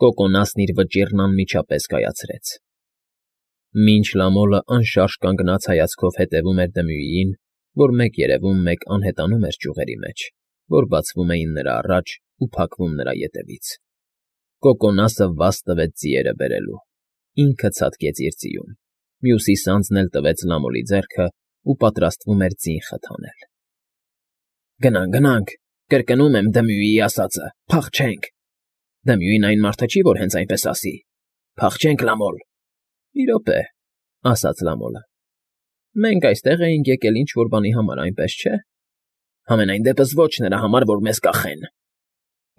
Կոկոնասն իր վճիռն անմիջապես կայացրեց։ Մինչ Լամոլը անշարժ կանգնած հայացքով հետևում էր Դմյուիին, որ մեկ երևում, մեկ անհետանում էր ճյուղերի մեջ, որ բացվում էին նրա առաջ ու փակվում նրա ետևից։ Կոկոնասը վազ տվեց ձիերը բերելու։ Ինքը ցատկեց իր ձիուն, մյուսի սանձն էլ տվեց Լամոլի ձեռքը ու պատրաստվում էր ձին խթանել։ Գնանք, կրկնում եմ Դմյուիի ասածը, փախչենք։ Դմյուին այն մարդը չի, որ հենց այնպես ասի։ Փախչենք, Լամոլ։ Մի րոպե, ասաց Լամոլը։ Մենք այստեղ էինք եկել ինչ֊որ բանի համար, այնպես չէ։ Համենայն դեպս ոչ նրա համար, որ մեզ կախեն,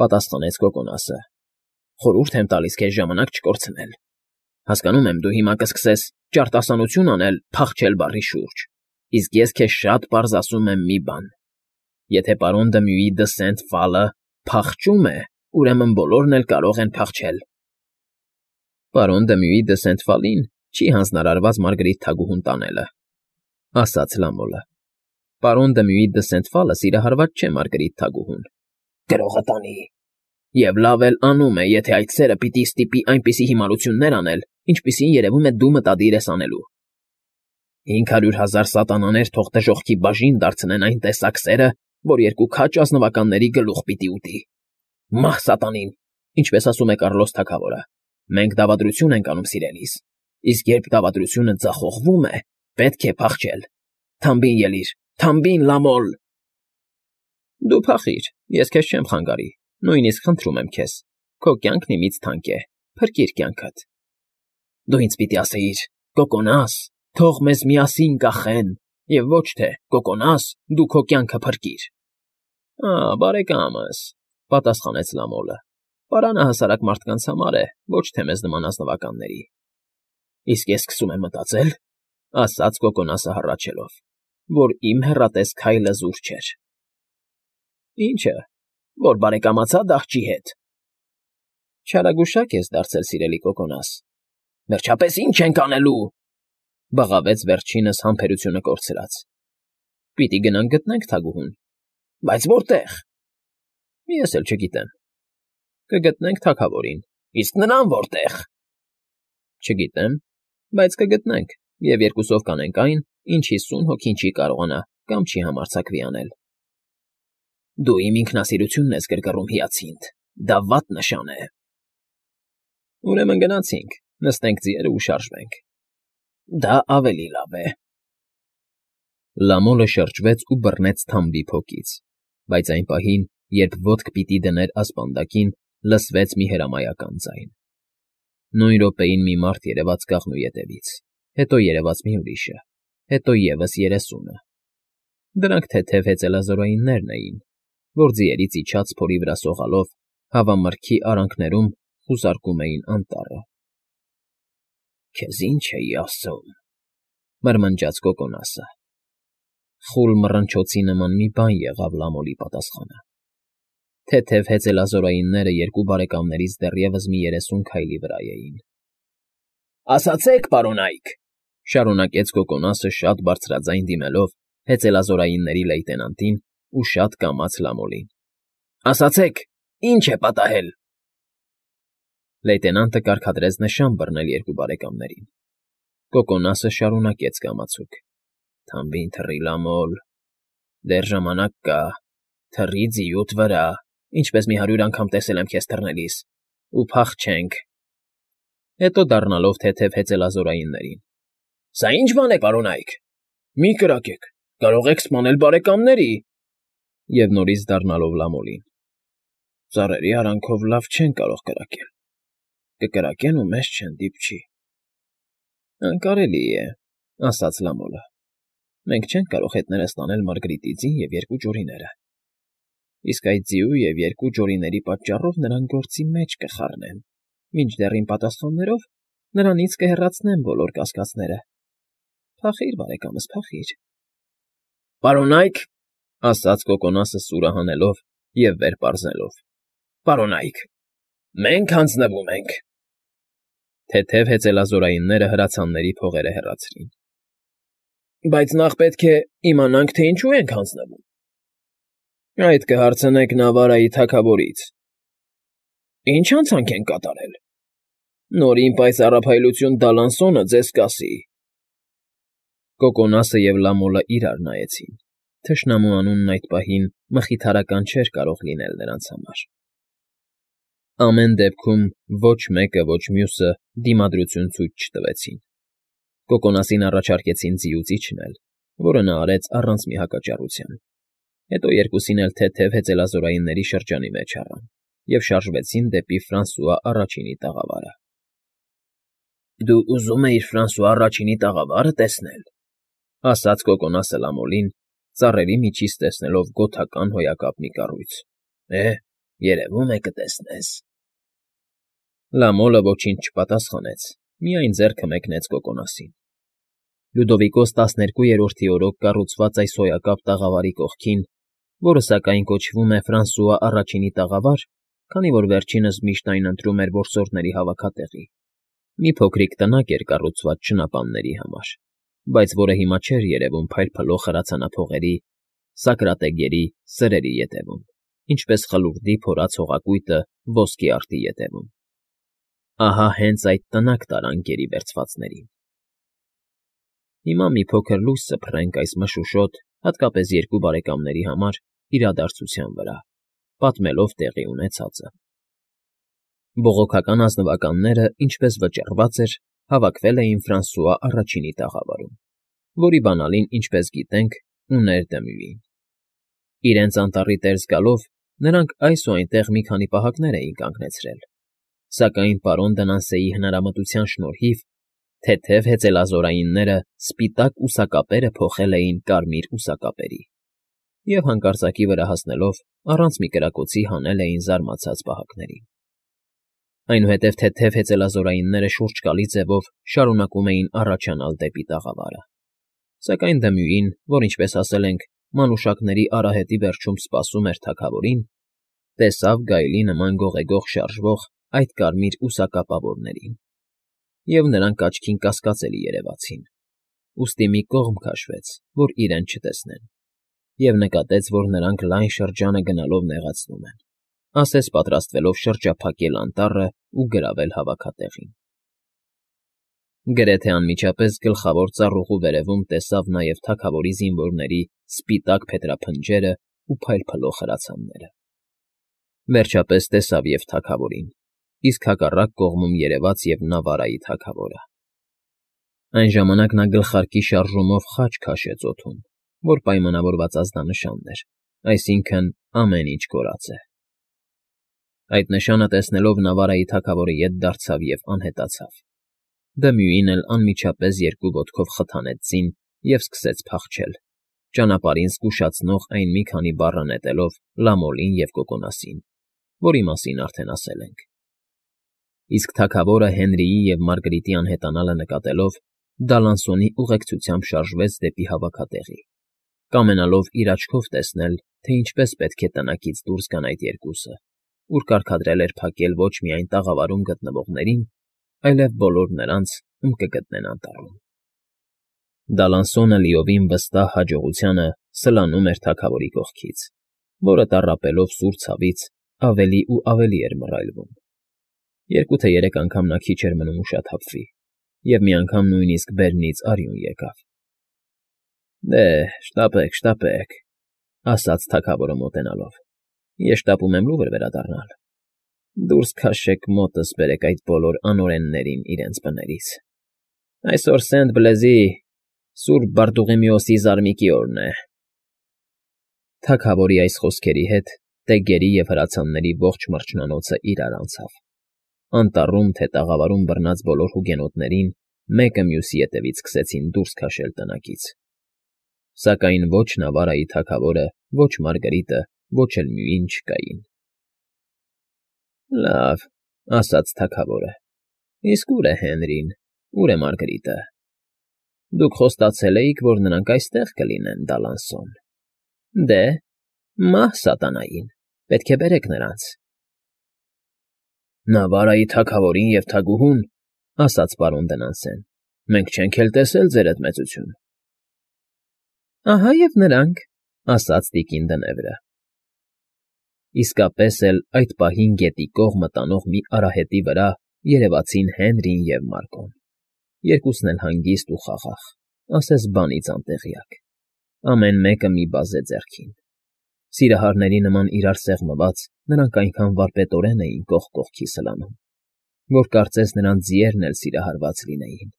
պատասխանեց Կոկոնասը։ Խորհուրդ եմ տալիս քեզ ժամանակ չկորցնել։ Հասկանում եմ, դու հիմա կսկսես ճարտասանություն անել «փախչել» բառի շուրջ, իսկ ես քեզ շատ պարզ ասում եմ մի բան. եթե պարոն Դմյուի դը Սենթ֊Ֆալը փախչում է, ուրեմն բոլորն էլ կարող են փախչել։ Պարոն Դմյուի դը Սենթ֊Ֆալին չի հանձնարարված Մարգարիտ թագուհուն տանելը, ասաց Լամոլը։ Պարոն Դմյուի դը Սենթ֊Ֆալը սիրահարված չէ Մարգարիտ թագուհուն։ Գրողը տանի։ Եվ լավ էլ անում է, եթե այդ սերը պիտի ստիպի այնպիսի հիմարություններ անել, ինչպիսին երևում է դու մտադիր ես անելու։ 500,000 սատանաներ թող դժոխքի բաժին դարձնեն այն տեսակ սերը, որ երկու քաջ ազնվականների գլուխ պիտի ուտի։ Մահ սատանին, ինչպես ասում է Կառլոս թագավորը, մենք դավադրություն ենք անում սիրելիս, իսկ երբ դավադրությունը ձախողվում է, պետք է փախչել։ Թամբին ելիր, թամբին, Լամոլ։ Դու փախիր, ես քեզ չեմ խանգարի, նույնիսկ խնդրում եմ քեզ, քո կյանքն իմից թանկ է, փրկիր կյանքդ։ Դու ինձ պիտի ասեիր. Կոկոնաս, թող մեզ միասին կախեն, և ոչ թե Կոկոնաս, դու քո կյանքը փրկիր։ Բարեկամս, պատասխանեց Լամոլը, պարանը հասարակ մարդկանց համար է, ոչ թե մեզ նման ազնվականների։ Իսկ ես սկսում եմ մտածել, ասաց Կոկոնասը հառաչելով, որ իմ հեռատես քայլը զուր չէր։ Ինչը, որ բարեկամացա դահճի հետ։ Չարագուշակ ես դարձել, սիրելի Կոկոնաս։ Վերջապես ի՞նչ ենք անելու, բղավեց վերջինս համբերությունը կորցրած։ Պիտի գնանք գտնենք թագուհուն։ Բայց որտե՞ղ։ Ես էլ չգիտեմ։ Կգտնենք թագավորին, իսկ նրան որտե՞ղ։ Չգիտեմ, բայց կգտնենք, և երկուսով կանենք այն, ինչ 50 հոգին չի կարողանա կամ չի համարձակվի անել։ Դու իմ ինքնասիրությունն ես գրգռում, հիացինդ, դա վատ նշան է։ Ուրեմն գնացինք, նստենք ձիերը ու շարժվենք։ Դա ավելի լավ է։ Լամոլը շրջվեց ու բռնեց թամբի փոքից, բայց այն պահին, երբ ոտք պիտի դներ ասպանդակին, լսվեց մի հրամայական ձայն։ Նույն րոպեին մի մարդ երևաց կաղնու ետևից, հետո երևաց մի ուրիշը, հետո ևս 30-ը։ Դրանք թեթև հեծելազորայիններն էին, որ ձիերից իջած փորի վրա սողալով հավամրգի արանքներում խուզարկում էին անտառը։ Քեզ ինչ էի ասում, մրմնջաց Կոկոնասը։ Խուլ մռնչոցի նման մի բան եղավ Լամոլի պատասխանը։ Թեթև հեծելազորայինները երկու բարեկամներից դեռևս մի 30 քայլի վրա էին։ Ասացեք, պարոնայք, շարունակեց Կոկոնասը շատ բարձրաձայն դիմելով հեծելազորայինների լեյտենանտին ու շատ կամաց Լամոլին։ Ասացեք, ինչ է պատահել։ Լեյտենանտը կարգադրեց նշան բռնել երկու բարեկամներին։ Կոկոնասը շարունակեց կամացուկ. Թամբին թռի, Լամոլ, դեռ ժամանակ կա, թռի ձիուդ վրա, ինչպես մի 100 անգամ տեսել եմ քեզ թռնելիս, ու փախչենք։ Հետո դառնալով թեթև հեծելազորայիններին. Սա ի՞նչ բան է, պարոնայք։ Մի կրակեք, կարող եք սպանել բարեկամների։ Եվ նորից դառնալով Լամոլին. Ծառերի արանքով լավ չեն կարող կրակել։ Կկրակեն ու մեզ չեն դիպչի։ Անկարելի է, ասաց Լամոլը։ Մենք չենք կարող հետները ստանել Մարգարիտի ձին և երկու ջորիները։ Իսկ այդ ձիու և երկու ջորիների պատճառով նրան գործի մեջ կխառնեն, մինչդեռ իմ պատասխաններով նրանից կհեռացնեմ բոլոր կասկածները։ Փախիր, բարեկամս, փախիր։ Պարոնայք, ասաց Կոկոնասը սուրը հանելով և վեր պարզելով։ Պարոնայք, մենք հանձնվում ենք։ Թեթև հեծելազորայինները հրացանների փողերը հեռացրին։ Բայց նախ պետք է իմանանք, թե ինչու ենք հանձնվում։ Այդ կհարցնեք Նավարայի թագավորից։ Ինչ հանցանք են կատարել։ Նորին պայծառափայլություն Դալանսոնը ձեզ կասի։ Կոկոնասը և Լամոլը իրար նայեցին. թշնամու անունն այդ պահին մխիթարական չէր կարող լինել նրանց համար։ Ամեն դեպքում ոչ մեկը, ոչ մյուսը դիմադրություն ցույց չտվեցին։ Կոկոնասին առաջարկեցին ձիուց իջնել, որը նա արեց առանց մի հակաճառության։ Հետո երկուսին էլ թեթև հեծելազորայինների շրջանի մեջ առան և շարժվեցին դեպի Ֆրանսուଆ առաջինի տաղավարը։ Դու ուզում էիր Ֆրանսուଆ առաջինի տաղավարը տեսնել,֊ ասաց Կոկոնասը Լամոլին, ծառերի միջից տեսնելով գոթական հոյակապ մի կառույց։ Երևում է կտեսնես։ Լամոլը ոչինչ չպատասխանեց, միայն ձեռքը մեկնեց Կոկոնասին։ Լյուդովիկոս 12-րդի օրոք կառուցված այս հոյակապ տաղավարի կողքին, որը սակայն կոչվում է Ֆրանսուଆ առաջինի տաղավար, քանի որ վերջինս միշտ այն ընտրում էր որսորդների հավաքատեղի, մի փոքրիկ տնակ էր կառուցված չնապանների համար, բայց որը հիմա չէր երևում փայլփլող հրացանափողերի, սակրատեգերի, սրերի ետևում, ինչպես խլուրդի փորած հողակույտը ոսկի արդի ետևում։ Ահա հենց այդ տնակ տարան գերի վերցվածներին։ Հիմա մի փոքր լույս սփռենք այս մշուշոտ, հատկապես երկու բարեկամների համար իրադարձության վրա, պատմելով տեղի ունեցածը։ Բողոքական ազնվականները, ինչպես վճռված էր, հավաքվել էին Ֆրանսուଆ առաջինի տաղավարում, որի բանալին, ինչպես գիտենք, ուներ դմույին։ Իրենց անտառի տեր զգալով նրանք այս ու այնտեղ մի քանի պահակներ էին կանգնեցրել, սակայն պարոն Դանանսեի հնարամտության շնորհիվ թեթև հեծելազորայինները սպիտակ ուսակապերը փոխել էին կարմիր ուսակապերի և հանկարծակի վրա հասնելով առանց մի կրակոցի հանել էին զարմացած պահակներին։ Այնուհետև թեթև հեծելազորայինները շուրջ գալի ձևով շարունակում էին առաջանալ դեպի տաղավարը, սակայն դմույին, որ, ինչպես ասել ենք, մանուշակների արահետի վերջում սպասում էր թագավորին, տեսավ գայլի նման գողեգող շարժվող այդ կարմիր ուսակապավորներին, և նրանք աչքին կասկածելի երևացին, ուստի մի կողմ քաշվեց, որ իրեն չտեսնեն, և նկատեց, որ նրանք լայն շրջանը գնալով նեղացնում են, ասես պատրաստվելով շրջափակել անտառն ու գրավել հավաքատեղին։ Գրեթե անմիջապես գլխավոր ծառուղու վերևում տեսավ նաև թագավորի զինվորների սպիտակ փետրափնջերն ու փայլփլող հրացանները։ Վերջապես տեսավ և թագավորին, իսկ հակառակ կողմում երևաց և Նավարայի թագավորը։ Այն ժամանակ նա գլխարկի շարժումով խաչ քաշեց օդում, որ պայմանավորված ազդանշանն էր, այսինքն՝ ամեն ինչ կորած է։ Այդ նշանը տեսնելով Նավարայի թագավորը ետ դարձավ և անհետացավ։ Դմույին էլ անմիջապես երկու ոտքով խթանեց ձին և սկսեց փախչել, ճանապարհին զգուշացնող այն մի քանի բառը նետելով Լամոլին և Կոկոնասին, որի մասին արդեն ասել ենք։ Իսկ թագավորը Հենրիի և Մարգրիտի անհետանալը նկատելով Դալանսոնի ուղեկցությամբ շարժվեց դեպի հավաքատեղի, կամենալով իր աչքով տեսնել, թե ինչպես պետք է տնակից դուրս գան այդ երկուսը, ուր կարգադրել էր փակել ոչ միայն տաղավարում գտնվողներին, այլև բոլոր նրանց, ում կգտնեն անտառում։ Դալանսոնը լիովին վստահ հաջողությանը սլանում էր թագավորի կողքից, որը տառապելով սուր ցավից ավելի ու ավելի էր մռայլվում։ Երկու թե երեք անգամ նա քիչ էր մնում ուշաթափվի, և մի անգամ նույնիսկ բերնից արյուն եկավ։ Շտապեք, շտապեք,֊ ասաց թագավորը մոտենալով։ Ես շտապում եմ լուվր վերադառնալ։ Դուրս քաշեք, մոտս բերեք այդ բոլոր անօրեններին իրենց բներից։ Այսօր Սենտ֊Բլեզի, Սուրբ Բարտուղիմեոսի զարմիկի օրն է։ Թագավորի այս խոսքերի հետ տեգերի և հրացանների ողջ մրջնանոցը իրար անցավ։ Անտառում թե տաղավարում բռնած բոլոր հուգենոտներին մեկը մյուսի ետևից սկսեցին դուրս քաշել տնակից։ Սակայն ոչ Նավարայի թագավորը, ոչ Մարգարիտը, ոչ էլ Մյուին չկային։ Լավ,֊ ասաց թագավորը,֊ իսկ ո՞ւր է Հենրին, ո՞ւր է Մարգարիտը։ Դուք խոստացել էիք, որ նրանք այստեղ կլինեն, Դալանսոն։ Դե, մահ սատանային, պետք է բերեք նրանց։ Նավարայի թագավորին և թագուհուն,֊ ասաց պարոն Դնանսեն,֊ մենք չենք էլ տեսել, ձերդ մեծություն։ Ահա և նրանք,֊ ասաց տիկին Դնևրը։ Իսկապես էլ այդ պահին գետի կողմը տանող մի արահետի վրա երևացին Հենրին և Մարկոն, երկուսն էլ հանգիստ ու խաղաղ, ասես բանից անտեղյակ, ամեն մեկը մի բազե ձեռքին. սիրահարների նման իրար սեղմված, նրանք այնքան վարպետորեն էին կողք կողքի սլանում, որ կարծես նրանց ձիերն էլ սիրահարված լինեին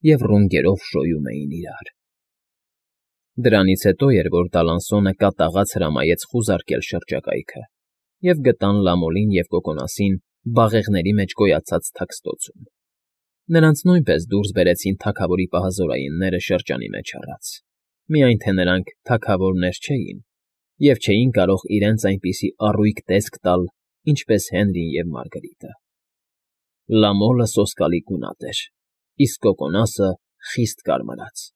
և ռունգերով շոյում էին իրար։ Դրանից հետո էր, որ Դալանսոնը կատաղած հրամայեց խուզարկել շրջակայքը, և գտան Լամոլին և Կոկոնասին բաղեղների մեջ գոյացած թաքստոցում. նրանց նույնպես դուրս բերեցին թագավորի պահազորայինները շրջանի մեջ առած, միայն թե նրանք թագավորներ չէին և չէին կարող իրենց այնպիսի առույգ տեսք տալ, ինչպես Հենրին և Մարգարիտը։ Լամոլը սոսկալի գունատ էր, իսկ Կոկոնասը խիստ կարմրած։